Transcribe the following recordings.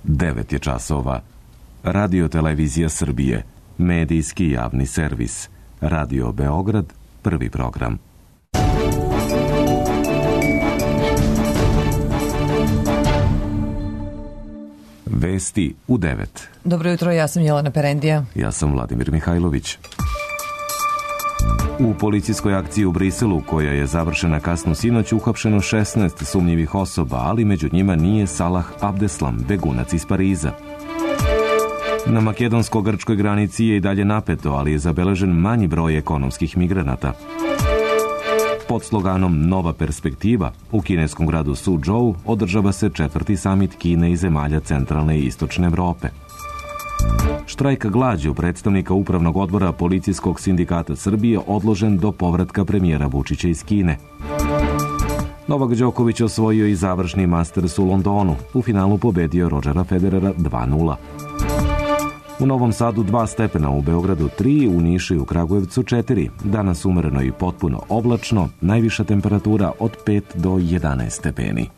9 je časova. Radio Televizija Srbije, medijski javni servis. Radio Beograd, prvi program. Vesti u 9. Dobro jutro, ja sam Jelena Perendija. Ja sam Vladimir Mihajlović. U policijskoj akciji u Briselu, koja je završena kasno sinoć, uhapšeno 16 sumnjivih osoba, ali među njima nije Salah Abdeslam, begunac iz Pariza. Na makedonsko-grčkoj granici je i dalje napeto, ali je zabeležen manji broj ekonomskih migranata. Pod sloganom Nova perspektiva u kineskom gradu Suzhou održava se 4. samit Kine i zemalja centralne i istočne Evrope. Štrajk glađu predstavnika Upravnog odbora Policijskog sindikata Srbije odložen do povratka premijera Vučića iz Kine. Novak Đoković osvojio i završni Masters u Londonu. U finalu pobedio Rodgera Federera 2:0. U Novom Sadu 2 stepena, u Beogradu 3, u Nišu i u Kragujevcu 4. Danas umereno i potpuno oblačno, najviša temperatura od 5 do 11 stepeni.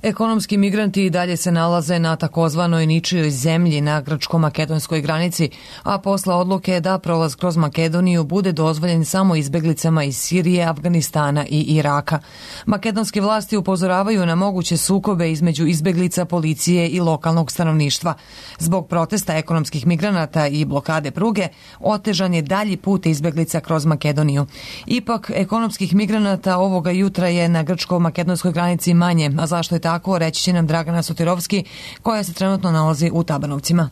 Ekonomski migranti i dalje se nalaze na takozvanoj ničijoj zemlji na grčko-makedonskoj granici, a posle odluke da prolaz kroz Makedoniju bude dozvoljen samo izbeglicama iz Sirije, Afganistana i Iraka. Makedonske vlasti upozoravaju na moguće sukobe između izbeglica, policije i lokalnog stanovništva. Zbog protesta ekonomskih migranata i blokade pruge, otežan je dalji put izbeglica kroz Makedoniju. Ipak, ekonomskih migranata ovoga jutra je na grčko-makedonskoj granici manje, a zašto je tako, reći će nam Dragana Sotirovski, koja se trenutno nalazi u Tabanovcima.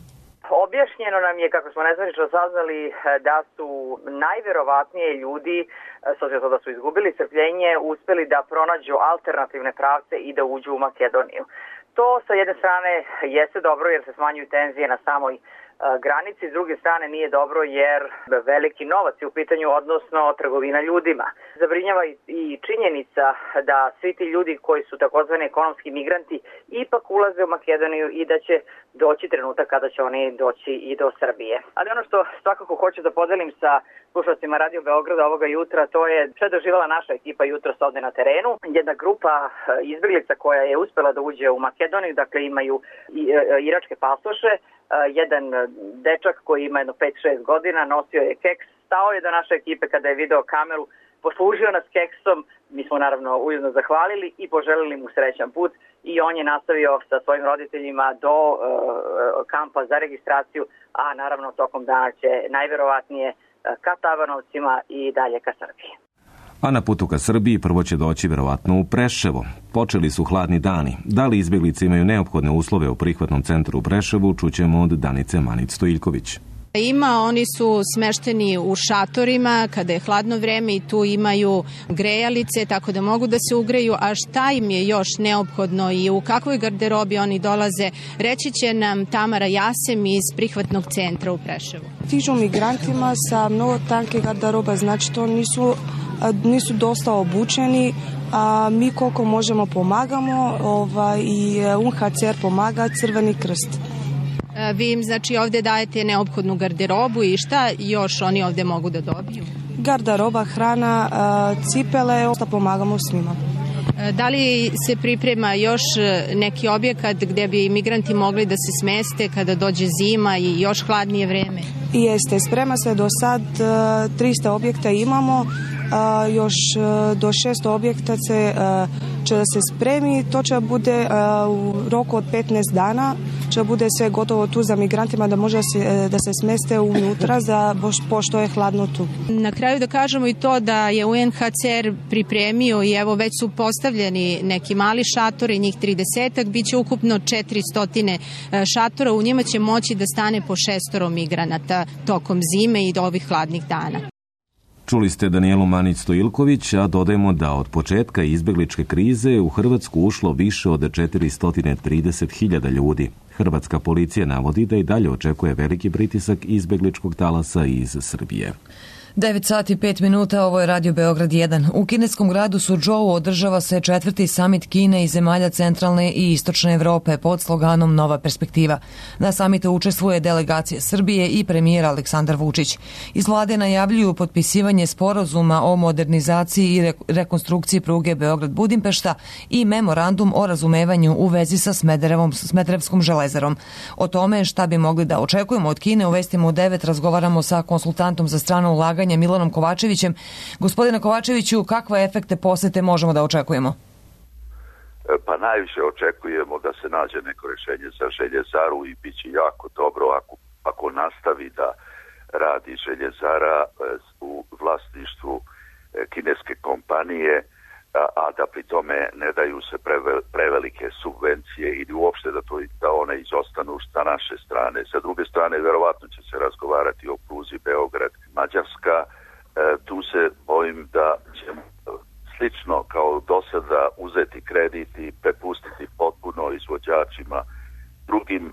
Objašnjeno nam je, kako smo nezvanično saznali, da su najverovatnije ljudi, s obzirom da su izgubili strpljenje, uspeli da pronađu alternativne pravce i da uđu u Makedoniju. To sa jedne strane jeste dobro jer se smanjuju tenzije na samoj granici, s druge strane nije dobro jer veliki novac je u pitanju, odnosno trgovina ljudima. Zabrinjava i činjenica da svi ti ljudi koji su takozvani ekonomski migranti ipak ulaze u Makedoniju i da će doći trenutak kada će oni doći i do Srbije. Ali ono što svakako hoću da podelim sa slušalcima Radio Beograda ovoga jutra, to je što je doživala naša ekipa jutros ovde na terenu. Jedna grupa izbeglica koja je uspela da uđe u Makedoniju, dakle imaju iračke pasoše. Jedan dečak koji ima jedno 5-6 godina, nosio je keks, stao je do naše ekipe kada je video kameru, poslužio nas keksom, mi smo naravno ujedno zahvalili i poželili mu srećan put i on je nastavio sa svojim roditeljima do kampa za registraciju, a naravno tokom dana će najverovatnije ka Tabanovcima i dalje ka Srbiji. A na putu ka Srbiji prvo će doći verovatno u Preševo. Počeli su hladni dani. Da li izbeglice imaju neophodne uslove u prihvatnom centru u Preševu, čućemo od Danice Manić-Stojiljković. Oni su smešteni u šatorima kada je hladno vreme i tu imaju grejalice tako da mogu da se ugreju, a šta im je još neophodno i u kakvoj garderobi oni dolaze, reći će nam Tamara Jasem iz prihvatnog centra u Preševu. Stižu migrantima sa mnogo tanke garderoba, znači to nisu dosta obučeni, a mi koliko možemo pomagamo i UNHCR pomaga, Crveni krst. Vi im znači ovde dajete neophodnu garderobu i šta još oni ovde mogu da dobiju? Garderoba, hrana, cipele, da pomagamo svima. Da li se priprema još neki objekat gde bi migranti mogli da se smeste kada dođe zima i još hladnije vreme? Jeste, sprema se do sad, 300 objekta imamo, još do 600 objekta će da se spremi, to će bude u roku od 15 dana, će bude sve gotovo tu za migrantima da može da se smeste unutra pošto je hladno tu. Na kraju da kažemo i to da je UNHCR pripremio i evo već su postavljeni neki mali šatori, njih 30-ak, bit će ukupno 400 šatora, u njima će moći da stane po 6 migranata tokom zime i do ovih hladnih dana. Čuli ste Danijelu Manić-Stojiljković, a dodajemo da od početka izbegličke krize u Hrvatsku ušlo više od 430.000 ljudi. Hrvatska policija navodi da i dalje očekuje veliki pritisak izbegličkog talasa iz Srbije. 9 sati 5 minuta, ovo je Radio Beograd 1. U kineskom gradu Suzhou održava se 4. samit Kine i zemalja centralne i istočne Evrope pod sloganom Nova perspektiva. Na samitu učestvuje delegacija Srbije i premijer Aleksandar Vučić. Iz vlade najavljuju potpisivanje sporazuma o modernizaciji i rekonstrukciji pruge Beograd-Budimpešta i memorandum o razumevanju u vezi sa Smederevskom železarom. O tome šta bi mogli da očekujemo od Kine u vestima u 9 razgovaramo sa konsultantom za strano ulaganje Milanom Kovačevićem. Gospodine Kovačeviću, kakve efekte posete možemo da očekujemo? Pa najviše očekujemo da se nađe neko rješenje za željezaru i bit će jako dobro ako nastavi da radi željezara u vlasništvu kineske kompanije, a da pri tome ne daju se prevelike subvencije ili uopšte da one izostanu sa naše strane. Sa druge strane, verovatno će se razgovarati o pruzi Beograd-Mađarska. Tu se bojim da ćemo slično kao do sada uzeti kredit i prepustiti potpuno izvođačima drugim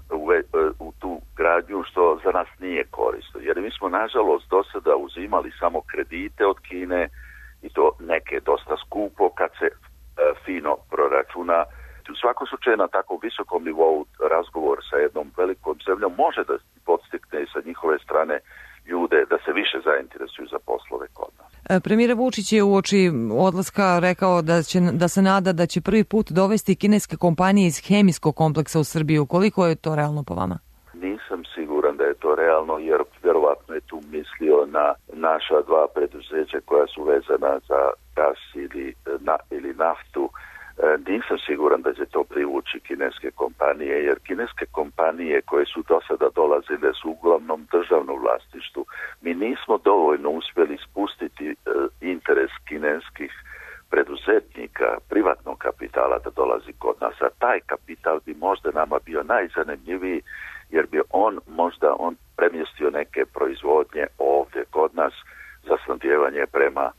u tu gradnju, što za nas nije korisno. Jer mi smo, nažalost, do sada uzimali samo kredite od Kine, i to neke dosta skupo kad se fino proračuna. U svakom slučaju na tako visokom nivou razgovor sa jednom velikom zemljom može da podstakne sa njihove strane ljude da se više zainteresuju za poslove kod nas. Premijer Vučić je uoči odlaska rekao da se nada da će prvi put dovesti kineske kompanije iz hemijskog kompleksa u Srbiju. Koliko je to realno po vama? Nisam siguran da je to realno, jer vjerovatno je tu mislio na naša dva preduzeća koja su vezana za gas ili naftu. Nisam siguran da će to privući kineske kompanije, jer kineske kompanije koje su do sada dolazile su uglavnom državno vlasništvu. Mi nismo dovoljno uspjeli spustiti interes kineskih preduzetnika, privatnog kapitala da dolazi kod nas, a taj kapital bi možda nama bio najzanimljiviji, jer bi on premjestio neke proizvodnje ovdje kod nas za snabdijevanje prema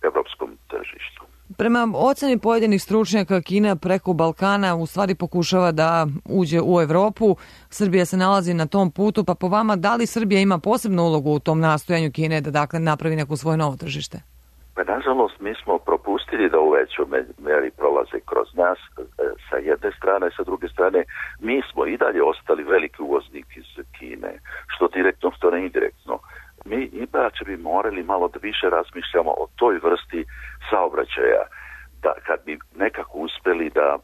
evropskom tržištu. Prema oceni pojedinih stručnjaka, Kina preko Balkana u stvari pokušava da uđe u Evropu. Srbija se nalazi na tom putu, pa po vama da li Srbija ima posebnu ulogu u tom nastojanju Kine da dakle napravi neko svoje novo tržište? Pa nažalost mi smo propustili da u većoj meri prolaze kroz nas sa jedne strane, sa druge strane mi smo i dalje ostali veliki uvoznik iz Kine, što direktno, što ne indirektno. Mi inače bi morali malo da više razmišljamo o toj vrsti saobraćaja, da kad bi nekako uspeli da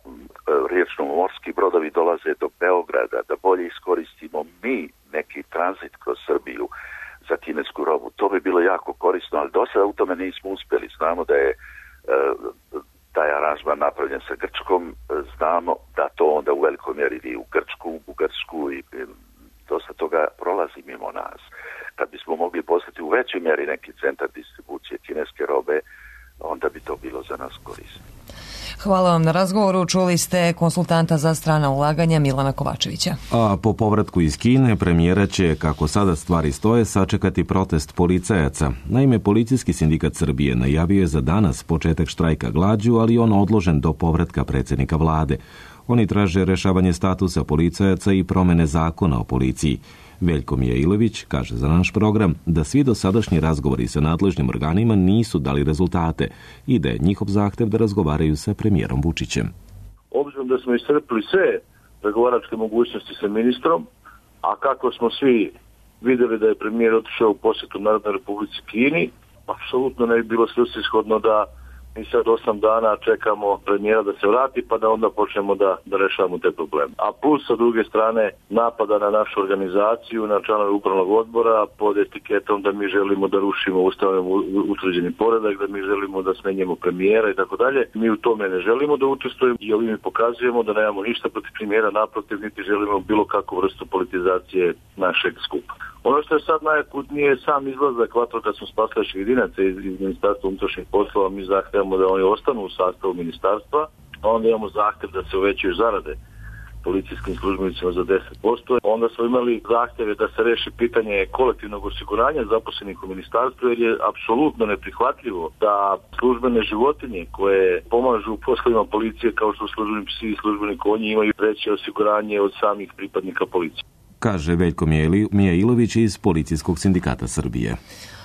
riječno-morski brodovi dolaze do Beograda, da bolje iskoristimo mi neki tranzit kroz Srbiju za kinesku robu, to bi bilo jako korisno, ali do sada u tome nismo uspjeli. Znamo da je taj aranžman napravljen sa Grčkom, znamo da to onda u velikoj mjeri ide u Grčku, u Bugarsku i dosta toga prolazi mimo nas. Kad bismo mogli postati u većoj mjeri neki centar distribucije kineske robe, onda bi to bilo za nas korisno. Hvala vam na razgovoru. Čuli ste konsultanta za strana ulaganja Milana Kovačevića. A po povratku iz Kine premijera će, kako sada stvari stoje, sačekati protest policajaca. Naime, Policijski sindikat Srbije najavio je za danas početak štrajka glađu, ali on odložen do povratka predsjednika vlade. Oni traže rešavanje statusa policajaca i promene zakona o policiji. Veljko Mijailović kaže za naš program da svi dosadašnji razgovori sa nadležnim organima nisu dali rezultate i da je njihov zahtev da razgovaraju sa premijerom Vučićem. Obzirom da smo iscrpili sve pregovaračke mogućnosti sa ministrom, a kako smo svi vidjeli da je premijer otišao u posjetu Narodnoj Republici Kini, apsolutno ne bi bilo svrsishodno da mi sad 8 dana čekamo premijera da se vrati pa da onda počnemo da rešavamo te probleme. A plus sa druge strane napada na našu organizaciju, na članove upravnog odbora pod etiketom da mi želimo da rušimo ustavom utvrđeni poredak, da mi želimo da smenjemo premijera i tako dalje. Mi u tome ne želimo da učestvujemo i ovim pokazujemo da nemamo ništa protiv premijera, naprotiv niti želimo bilo kakvu vrstu politizacije našeg skupa. Ono što je sad najakutnije je sam izlazak vatrogasno-spasilačkih jedinaca iz Ministarstva unutrašnjih poslova. Mi zahtevamo da oni ostanu u sastavu ministarstva, a onda imamo zahtev da se uvećaju zarade policijskim službenicima za 10%. Onda smo imali zahtjeve da se reši pitanje kolektivnog osiguranja zaposlenih u ministarstvu, jer je apsolutno neprihvatljivo da službene životinje koje pomažu u poslovima policije kao što službeni psi i službeni konji imaju veće osiguranje od samih pripadnika policije. Kaže Veljko Mijailović iz Policijskog sindikata Srbije.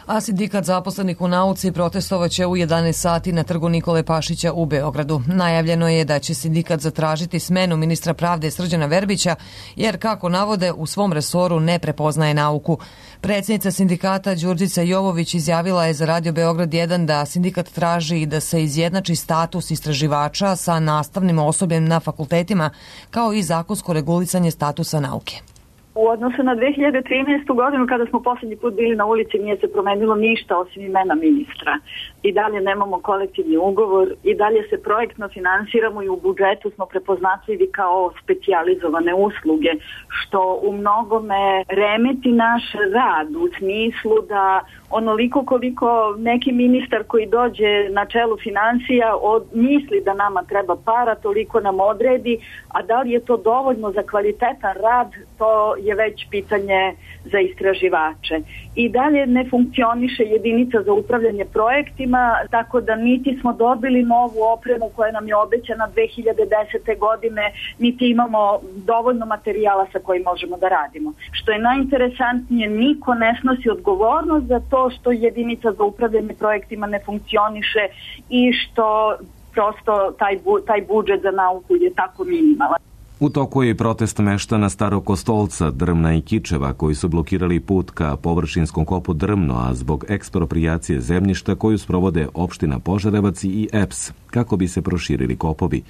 a sindikat zaposlenih u nauci protestovaće u 11 sati na trgu Nikole Pašića u Beogradu. Najavljeno je da će sindikat zatražiti smenu ministra pravde Srđana Verbića, jer, kako navode, u svom resoru ne prepoznaje nauku. Predsjednica sindikata Đurđica Jovović izjavila je za Radio Beograd 1 da sindikat traži da se izjednači status istraživača sa nastavnim osobljem na fakultetima, kao i zakonsko regulisanje statusa nauke. U odnosu na 2013. godinu, kada smo posljednji put bili na ulici, nije se promenilo ništa osim imena ministra. I dalje nemamo kolektivni ugovor, i dalje se projektno finansiramo i u budžetu smo prepoznatljivi kao specijalizovane usluge, što u mnogome remeti naš rad u smislu da onoliko koliko neki ministar koji dođe na čelu finansija misli da nama treba para, toliko nam odredi, a da li je to dovoljno za kvalitetan rad, to je već pitanje za istraživače. I dalje ne funkcioniše jedinica za upravljanje projektima, tako da niti smo dobili novu opremu koja nam je obećana 2010. godine, niti imamo dovoljno materijala sa kojim možemo da radimo. Što je najinteresantnije, niko ne snosi odgovornost za to što jedinica za upravljanje projektima ne funkcioniše i što prosto taj budžet za nauku je tako minimalan. U toku je i protest meštana Starog Kostolca, Drmna i Kičeva, koji su blokirali put ka površinskom kopu Drmno, a zbog eksproprijacije zemljišta koju sprovode opština Požarevac i EPS, kako bi se proširili kopovi.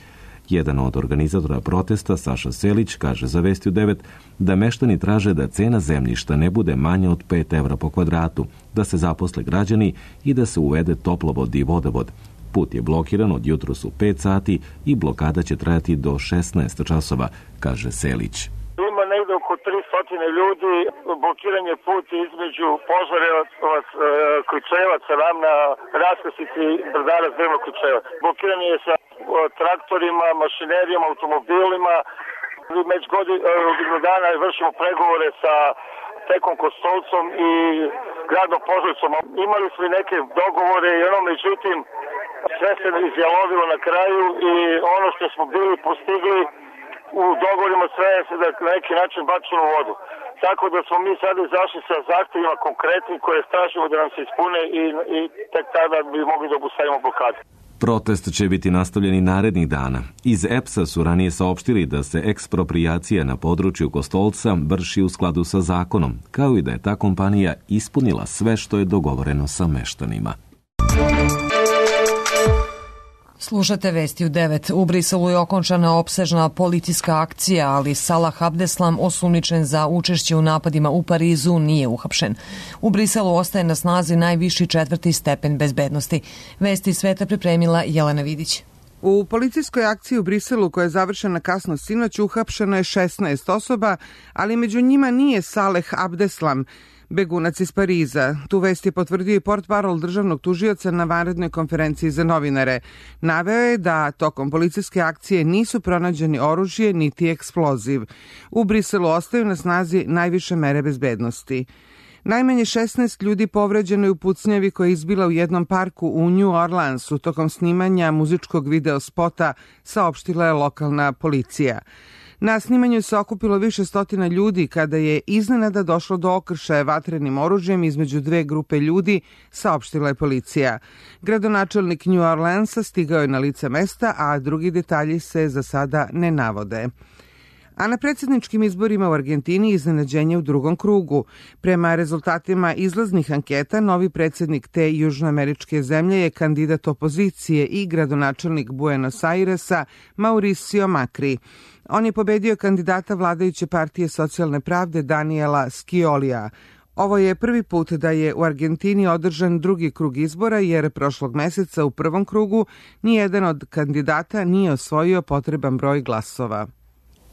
Jedan od organizatora protesta, Saša Selić, kaže za Vesti u 9 da meštani traže da cena zemljišta ne bude manja od 5 evra po kvadratu, da se zaposle građani i da se uvede toplovod i vodovod. Put je blokiran od jutros u 5 sati i blokada će trajati do 16 časova, kaže Selić. Ima negde oko 300 ljudi, blokiran je put između Požarevac, Ključevac, Ravna, raskrsnici Brdara, Drvno, Ključevac. Blokiran je sa traktorima, mašinerijama, automobilima. Već godinu dana vršimo pregovore sa Tekom Kostolcom i gradom Požarevcom. Imali smo i neke dogovore i međutim, sve se izjalovilo na kraju i ono što smo bili postigli u dogovorima sve se na neki način bačeno u vodu. Tako da smo mi sada izašli sa zahtjevima konkretnim koje tražimo da nam se ispune i tek tada bi mogli da obustavimo blokadu. Protest će biti nastavljen i narednih dana. Iz EPS-a su ranije saopštili da se eksproprijacija na području Kostolca vrši u skladu sa zakonom, kao i da je ta kompanija ispunila sve što je dogovoreno sa meštanima. Slušate Vesti u 9. U Briselu je okončana opsežna policijska akcija, ali Salah Abdeslam, osumnjičen za učešće u napadima u Parizu, nije uhapšen. U Briselu ostaje na snazi najviši 4. stepen bezbednosti. Vesti iz sveta pripremila Jelena Vidić. U policijskoj akciji u Briselu, koja je završena kasno sinoć, uhapšeno je 16 osoba, ali među njima nije Saleh Abdeslam, begunac iz Pariza. Tu vest je potvrdio i portparol državnog tužioca na vanrednoj konferenciji za novinare. Naveo je da tokom policijske akcije nisu pronađeni oružje niti eksploziv. U Briselu ostaju na snazi najviše mere bezbednosti. Najmanje 16 ljudi povređeno je u pucnjavi koja je izbila u jednom parku u New Orleansu tokom snimanja muzičkog video spota, saopštila je lokalna policija. Na snimanju se okupilo više stotina ljudi kada je iznenada došlo do okršaja vatrenim oružjem između dve grupe ljudi, saopštila je policija. Gradonačelnik New Orleansa stigao je na lice mesta, a drugi detalji se za sada ne navode. A na predsjedničkim izborima u Argentini iznenađenje u drugom krugu. Prema rezultatima izlaznih anketa, novi predsjednik te južnoameričke zemlje je kandidat opozicije i gradonačelnik Buenos Airesa Mauricio Macri. On je pobedio kandidata vladajuće partije socijalne pravde Daniela Sciolija. Ovo je prvi put da je u Argentini održan drugi krug izbora, jer prošlog meseca u prvom krugu nijedan od kandidata nije osvojio potreban broj glasova.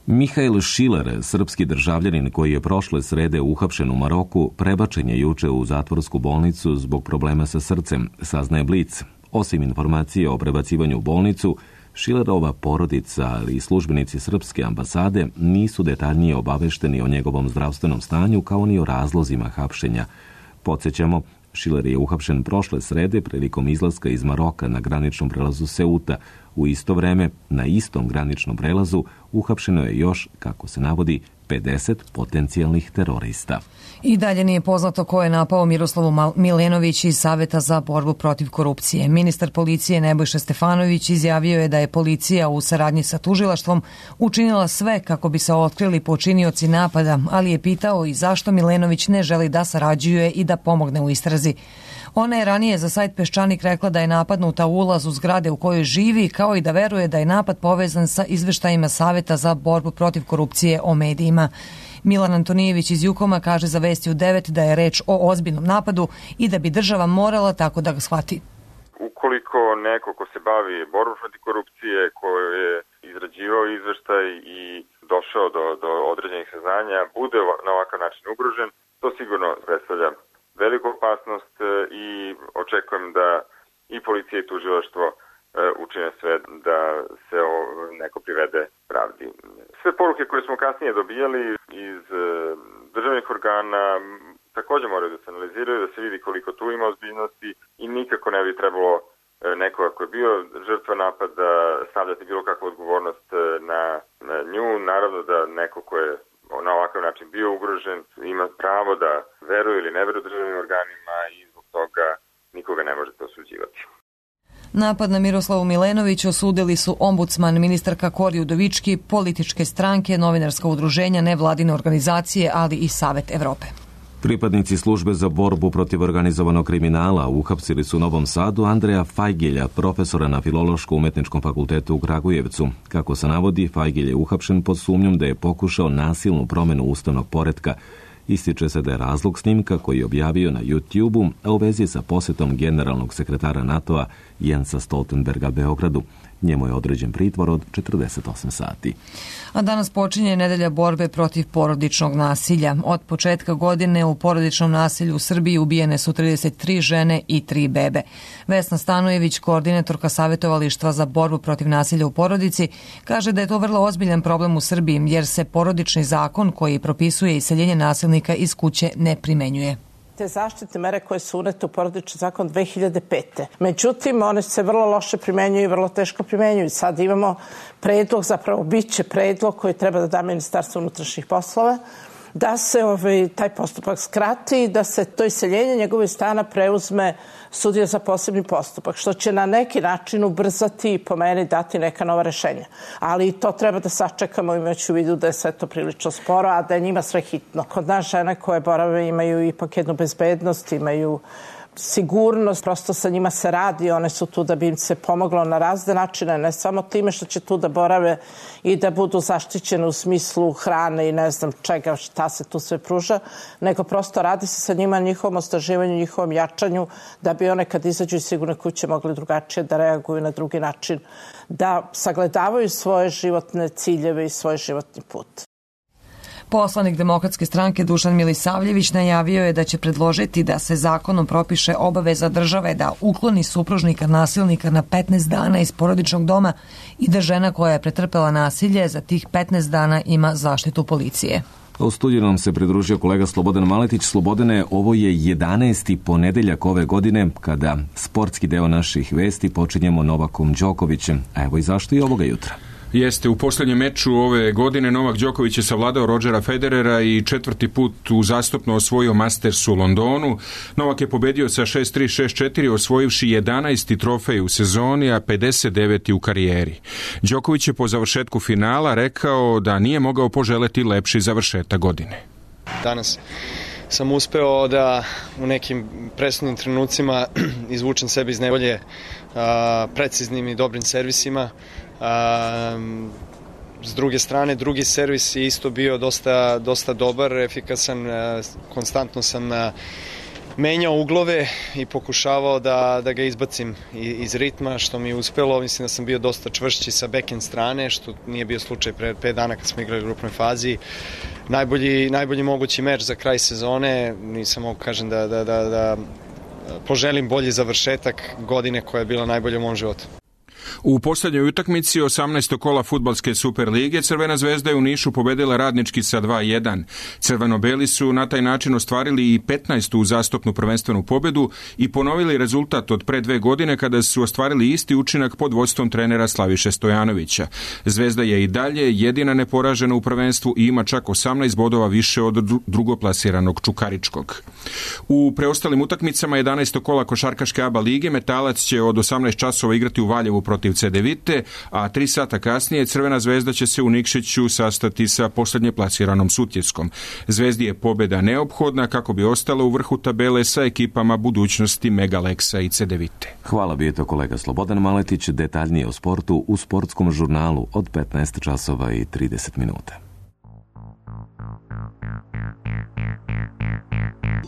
Mihail Šiler, srpski državljanin koji je prošle srede uhapšen u Maroku, prebačen je juče u zatvorsku bolnicu zbog problema sa srcem, saznaje Blic. Osim informacije o prebacivanju u bolnicu, Šilerova porodica, ali i službenici srpske ambasade nisu detaljnije obavešteni o njegovom zdravstvenom stanju kao ni o razlozima hapšenja. Podsjećamo, Šiler je uhapšen prošle srede prilikom izlaska iz Maroka na graničnom prelazu Seuta. U isto vreme, na istom graničnom prelazu uhapšeno je još, kako se navodi, 50 potencijalnih terorista. I dalje nije poznato ko je napao Miroslavu Milenović iz Saveta za borbu protiv korupcije. Ministar policije Nebojša Stefanović izjavio je da je policija u saradnji sa tužilaštvom učinila sve kako bi se otkrili počinioci napada, ali je pitao i zašto Milenović ne želi da sarađuje i da pomogne u istrazi. Ona je ranije za sajt Peščanik rekla da je napadnuta u ulazu zgrade u kojoj živi, kao i da veruje da je napad povezan sa izveštajima Saveta za borbu protiv korupcije o medijima. Milan Antonijević iz Jukoma kaže za Vesti u 9 da je reč o ozbiljnom napadu i da bi država morala tako da ga shvati. Ukoliko neko ko se bavi borbom protiv korupcije, ko je izrađivao izveštaj i došao do određenih saznanja, bude na ovakav način ugrožen, to sigurno predstavlja veliku opasnost i očekujem da i policija i tužilaštvo učine sve da se neko privede pravdi. Sve poruke koje smo kasnije dobijali iz državnih organa također moraju da se analiziraju, da se vidi koliko tu ima ozbiljnosti i nikako ne bi trebalo nekoga ko je bio žrtva napada stavljati bilo kakvu odgovornost na nju. Naravno da neko ko je na ovakav način bio ugrožen ima pravo da veruje ili ne veruje državnim organima i zbog toga nikoga ne možete osuđivati. Napad na Miroslavu Milenović osudili su ombudsman, ministarka Kori Udovički, političke stranke, novinarska udruženja, nevladine organizacije, ali i Savet Evrope. Pripadnici službe za borbu protiv organizovanog kriminala uhapsili su u Novom Sadu Andreja Fajgilja, profesora na Filološko-umetničkom fakultetu u Kragujevcu. Kako se navodi, Fajgilj je uhapšen pod sumnjom da je pokušao nasilnu promjenu ustavnog poretka. Ističe se da je razlog snimka koji je objavio na YouTube-u, a u vezi sa posjetom generalnog sekretara NATO-a Jensa Stoltenberga Beogradu. Njemu je određen pritvor od 48 sati. A danas počinje nedelja borbe protiv porodičnog nasilja. Od početka godine u porodičnom nasilju u Srbiji ubijene su 33 žene i 3 bebe. Vesna Stanojević, koordinatorka Savjetovalištva za borbu protiv nasilja u porodici, kaže da je to vrlo ozbiljan problem u Srbiji jer se porodični zakon koji propisuje iseljenje nasilnika iz kuće ne primenjuje. Te zaštitne mere koje su unete u porodični zakon 2005. Međutim, one se vrlo loše primenjuju i vrlo teško primenjuju. Sad imamo predlog, zapravo biće predlog koji treba da da Ministarstvo unutrašnjih poslova, da se taj postupak skrati, da se to iseljenje njegove stana preuzme sudija za posebni postupak, što će na neki način ubrzati i po meni dati neka nova rešenja. Ali to treba da sačekamo imajući u vidu da je sve to prilično sporo, a da je njima sve hitno. Kod nas žene koje borave imaju ipak jednu bezbednost, imaju sigurnost, prosto sa njima se radi, one su tu da bi im se pomoglo na razne načine, ne samo time što će tu da borave i da budu zaštićene u smislu hrane i ne znam čega, šta se tu sve pruža, nego prosto radi se sa njima, njihovom osnaživanju, njihovom jačanju, da bi one kad izađu iz sigurne kuće mogli drugačije da reaguju na drugi način, da sagledavaju svoje životne ciljeve i svoj životni put. Poslanik Demokratske stranke Dušan Milisavljević najavio je da će predložiti da se zakonom propiše obaveza države da ukloni supružnika nasilnika na 15 dana iz porodičnog doma i da žena koja je pretrpela nasilje za tih 15 dana ima zaštitu policije. U studiju nam se pridružio kolega Slobodan Maletić. Slobodane, ovo je 11. ponedeljak ove godine kada sportski deo naših vesti počinjemo Novakom Đokovićem. A evo i zašto i ovoga jutra. Jeste, u posljednjem meču ove godine Novak Đoković je savladao Rodgera Federera i 4. put uzastopno osvojio Masters u Londonu. Novak je pobedio sa 6-3, 6-4, osvojivši 11. trofej u sezoni, a 59. u karijeri. Đoković je po završetku finala rekao da nije mogao poželeti lepši završetak godine. Danas sam uspeo da u nekim presudnim trenucima izvučem sebe iz nevolje preciznim i dobrim servisima. S druge strane, drugi servis je isto bio dosta dobar, efikasan, konstantno sam menjao uglove i pokušavao da ga izbacim iz ritma, što mi je uspelo. Mislim da sam bio dosta čvršći sa backhand strane, što nije bio slučaj pre 5 dana kad smo igrali u grupnoj fazi. Najbolji mogući meč za kraj sezone, nisam mogu kažem da poželim bolji završetak godine koja je bila najbolja u mom životu. U posljednjoj utakmici 18. kola fudbalske Superlige Crvena zvezda je u Nišu pobedila Radnički sa 2:1. Crveno-beli su na taj način ostvarili i 15. uzastopnu prvenstvenu pobedu i ponovili rezultat od pre 2 godine kada su ostvarili isti učinak pod vodstvom trenera Slaviše Stojanovića. Zvezda je i dalje jedina neporažena u prvenstvu i ima čak 18 bodova više od drugoplasiranog Čukaričkog. U preostalim utakmicama 11. kola košarkaške ABA lige Metalac će od 18 časova igrati u Valjevu protiv Cedevite, a 3 sata kasnije Crvena zvezda će se u Nikšiću sastati sa posljednje plasiranom Sutjeskom. Zvezdi je pobjeda neophodna kako bi ostala u vrhu tabele sa ekipama budućnosti Megaleksa i Cedevite. Hvala bi to kolega Slobodan Maletić, detaljnije o sportu u sportskom žurnalu od 15 časova i 30 minuta.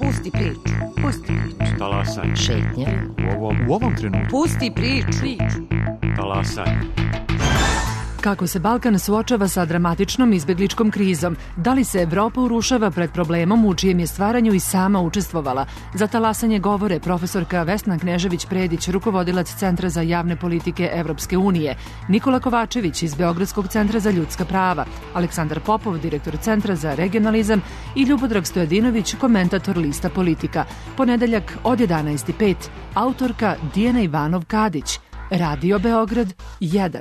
Pusti priču. Pusti priču. Talasaj. Šetnja. U ovom trenutku. Pusti priču. Talasaj. Kako se Balkan suočava sa dramatičnom izbjegličkom krizom? Da li se Evropa urušava pred problemom u čijem je stvaranju i sama učestvovala? Za talasanje govore profesorka Vesna Knežević-Predić, rukovodilac Centra za javne politike Evropske unije, Nikola Kovačević iz Beogradskog centra za ljudska prava, Aleksandar Popov, direktor Centra za regionalizam i Ljubodrag Stojadinović, komentator lista Politika. Ponedeljak od 11:05. Autorka Dijana Ivanov-Kadić. Radio Beograd 1.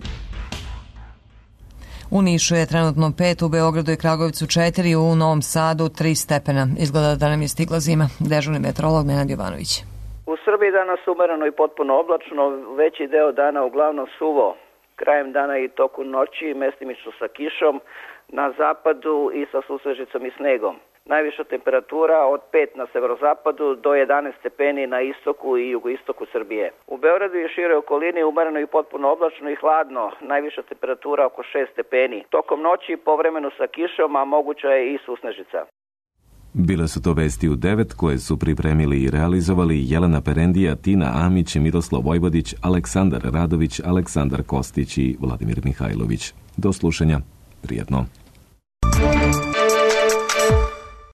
U Nišu je trenutno 5, u Beogradu i Kragujevcu 4, u Novom Sadu 3 stepena. Izgleda da nam je stigla zima. Dežurni meteorolog Nenad Jovanović. U Srbiji danas umereno i potpuno oblačno, veći deo dana uglavnom suvo. Krajem dana i toku noći mestimično sa kišom, na zapadu i sa susrežicom i snegom. Najviša temperatura od 5 na severozapadu do 11 stepeni na istoku i jugoistoku Srbije. U Beogradu i široj okolini umereno i potpuno oblačno i hladno, najviša temperatura oko 6 stepeni. Tokom noći povremeno sa kišom, a moguća je i susnežica. Bile su to vesti u 9 koje su pripremili i realizovali Jelena Perendija, Tina Amić, Miroslav Vojvodić, Aleksandar Radović, Aleksandar Kostić i Vladimir Mihajlović. Do slušanja. Prijetno.